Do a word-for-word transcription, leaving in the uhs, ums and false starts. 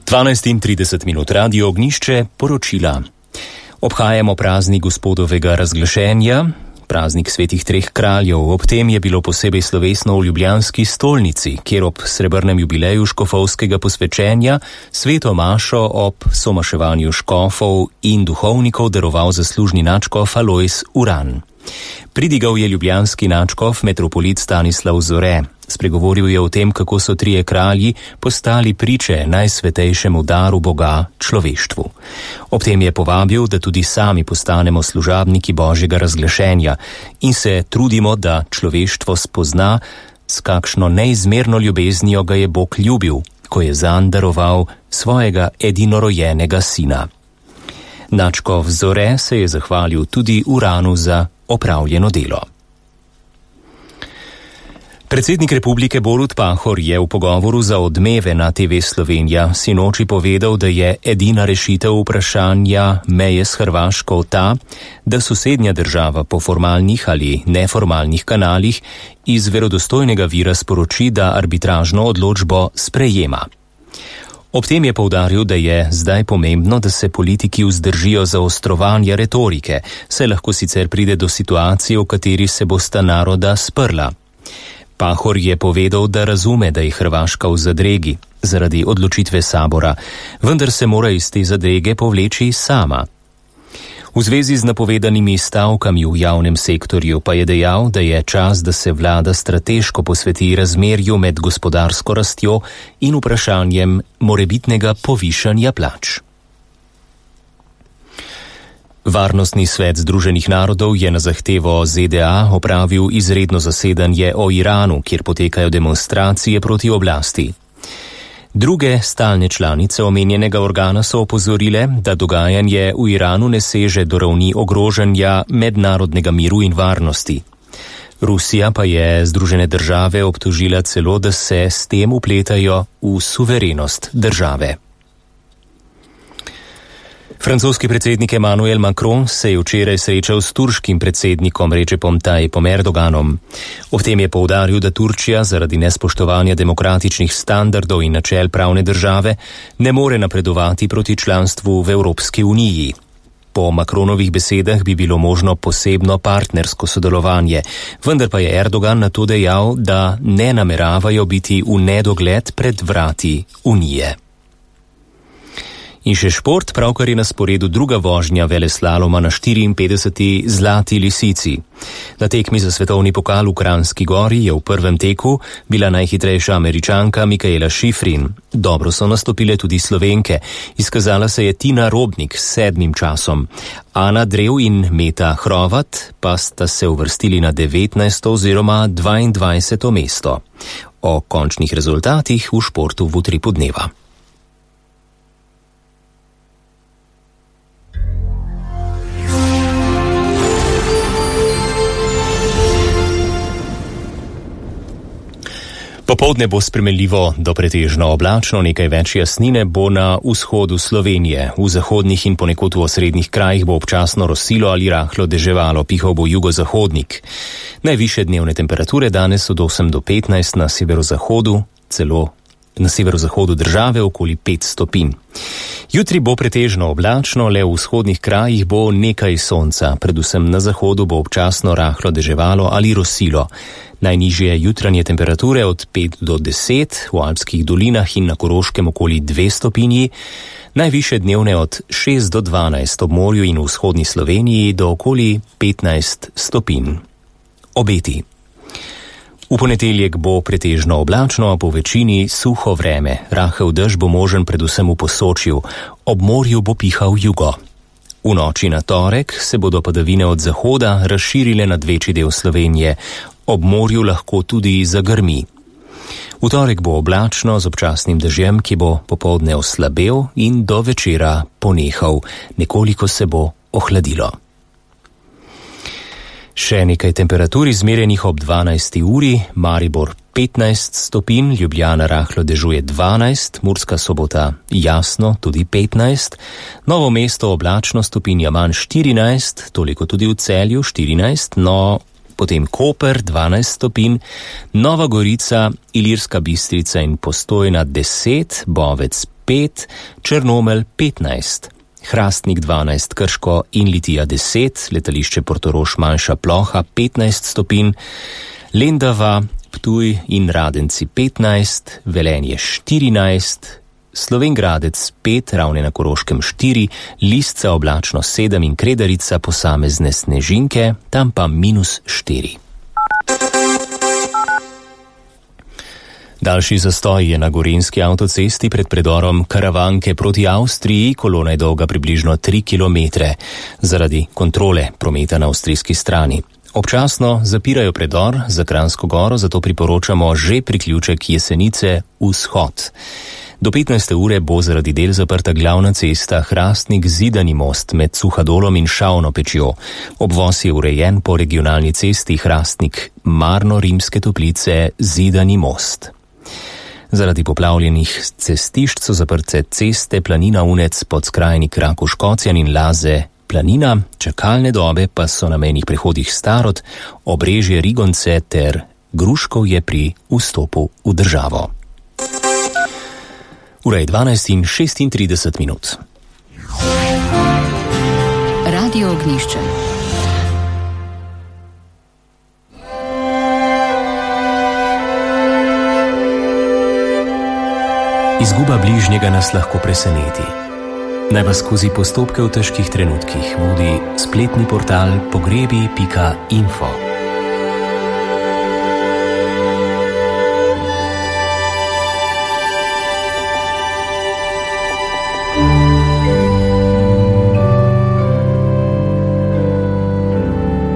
dvanajst in trideset minut, Radio Ognjišče, poročila. Obhajamo praznik Gospodovega razglašenja, praznik svetih treh kraljev. Ob tem je bilo posebej slovesno v ljubljanski stolnici, kjer ob srebrnem jubileju škofovskega posvečenja sveto mašo ob somaševanju škofov in duhovnikov daroval zaslužni nadškof Alojz Uran. Pridigal je ljubljanski nadškof metropolit Stanislav Zore. Spregovoril je o tem, kako so trije kralji postali priče najsvetejšemu daru Boga človeštvu. Ob tem je povabil, da tudi sami postanemo služabniki Božjega razglašenja in se trudimo, da človeštvo spozna, s kakšno neizmerno ljubeznijo ga je Bog ljubil, ko je zanj daroval svojega edinorojenega sina. Nadškof Zore se je zahvalil tudi Uranu za opravljeno delo. Predsednik republike Borut Pahor je v pogovoru za Odmeve na te ve Slovenija sinoči povedal, da je edina rešitev vprašanja meje s Hrvaško ta, da sosednja država po formalnih ali neformalnih kanalih iz verodostojnega vira sporoči, da arbitražno odločbo sprejema. Ob tem je poudaril, da je zdaj pomembno, da se politiki vzdržijo zaostrovanja retorike, saj lahko sicer pride do situacije, v kateri se bosta naroda sprla. Pahor je povedal, da razume, da je Hrvaška v zadregi zaradi odločitve sabora, vendar se mora iz te zadrege povleči sama. V zvezi z napovedanimi stavkami v javnem sektorju pa je dejal, da je čas, da se vlada strateško posveti razmerju med gospodarsko rastjo in vprašanjem morebitnega povišanja plač. Varnostni svet Združenih narodov je na zahtevo Z D A opravil izredno zasedanje o Iranu, kjer potekajo demonstracije proti oblasti. Druge stalne članice omenjenega organa so opozorile, da dogajanje v Iranu ne seže do ravni ogrožanja mednarodnega miru in varnosti. Rusija pa je Združene države obtožila celo, da se s tem vpletajo v suverenost države. Francoski predsednik Emmanuel Macron se je včeraj srečal s turškim predsednikom Recepom Tayyipom Erdoganom. Ob tem je poudaril, da Turčija zaradi nespoštovanja demokratičnih standardov in načel pravne države ne more napredovati proti članstvu v Evropski uniji. Po Macronovih besedah bi bilo možno posebno partnersko sodelovanje, vendar pa je Erdogan na to dejal, da ne nameravajo biti v nedogled pred vrati unije. In še šport, pravkar je na sporedu druga vožnja veleslaloma na štiriinpetdeseti Zlati lisici. Na tekmi za svetovni pokal v Kranjski Gori je v prvem teku bila najhitrejša Američanka Mikaela Šifrin. Dobro so nastopile tudi Slovenke. Izkazala se je Tina Robnik s sedmim časom. Ana Drev in Meta Hrovat pa sta se uvrstili na devetnajsto oziroma dvaindvajseto mesto. O končnih rezultatih v športu v utripu dneva. Popoldne bo spremenljivo do pretežno oblačno, nekaj več jasnine bo na vzhodu Slovenije. V zahodnih in ponekod v osrednjih krajih bo občasno rosilo ali rahlo deževalo, pihal bo jugozahodnik. Najvišje dnevne temperature danes od osem do petnajst na severozahodu, celo na severozahodu države okoli pet stopinj. Jutri bo pretežno oblačno, le v vzhodnih krajih bo nekaj sonca, predvsem na zahodu bo občasno rahlo deževalo ali rosilo. Najnižje jutranje temperature od pet do deset, v alpskih dolinah in na Koroškem okoli dve stopinji, najvišje dnevne od šest do dvanajst ob morju in v vzhodni Sloveniji do okoli petnajst stopinj. Obeti. V ponedeljek bo pretežno oblačno, po večini suho vreme. Rahel dež bo možen predvsem v Posočju, ob morju bo pihal jugo. V noči na torek se bodo padavine od zahoda razširile nad večji del Slovenije, ob morju lahko tudi zagrmi. V torek bo oblačno z občasnim dežjem, ki bo popoldne oslabel in do večera ponehal, nekoliko se bo ohladilo. Še nekaj temperatur izmerjenih ob dvanajsti uri, Maribor petnajst stopinj, Ljubljana rahlo dežuje dvanajst, Murska Sobota jasno tudi petnajst, Novo mesto oblačno stopinja manj štirinajst, toliko tudi v Celju štirinajst, no potem Koper dvanajst stopinj, Nova Gorica, Ilirska Bistrica in Postojna deset, Bovec pet, Črnomelj petnajst, Hrastnik dvanajst, Krško in Litija deset, letališče Portorož manjša ploha petnajst stopinj, Lendava, Ptuj in Radenci petnajst, Velenje štirinajst, Slovenj Gradec pet, Ravne na Koroškem štiri, Lisca oblačno sedem in Kredarica posamezne snežinke, tam pa minus štiri. Daljši zastoj je na gorenjski avtocesti pred predorom Karavanke proti Avstriji, kolona je dolga približno tri kilometre zaradi kontrole prometa na avstrijski strani. Občasno zapirajo predor za Kranjsko goro, zato priporočamo že priključek Jesenice vzhod. Do petnajste ure bo zaradi del zaprta glavna cesta Hrastnik Zidani most med Suhadolom in Šavno pečjo. Obvoz je urejen po regionalni cesti Hrastnik Marno Rimske Toplice Zidani most. Zaradi poplavljenih cestišč so zaprte ceste Planina Unec, Podskrajnik Rakuš-Kocjan in Laze Planina, čakalne dobe pa so na mejnih prehodih Starod, Obrežje Rigonce ter Gruškovje pri vstopu v državo. Ura je dvanajst in šestintrideset minut. Radio Ognjišče. Izguba bližnjega nas lahko preseneti. Naj vas skozi postopke v težkih trenutkih vodi spletni portal pogrebi pika info.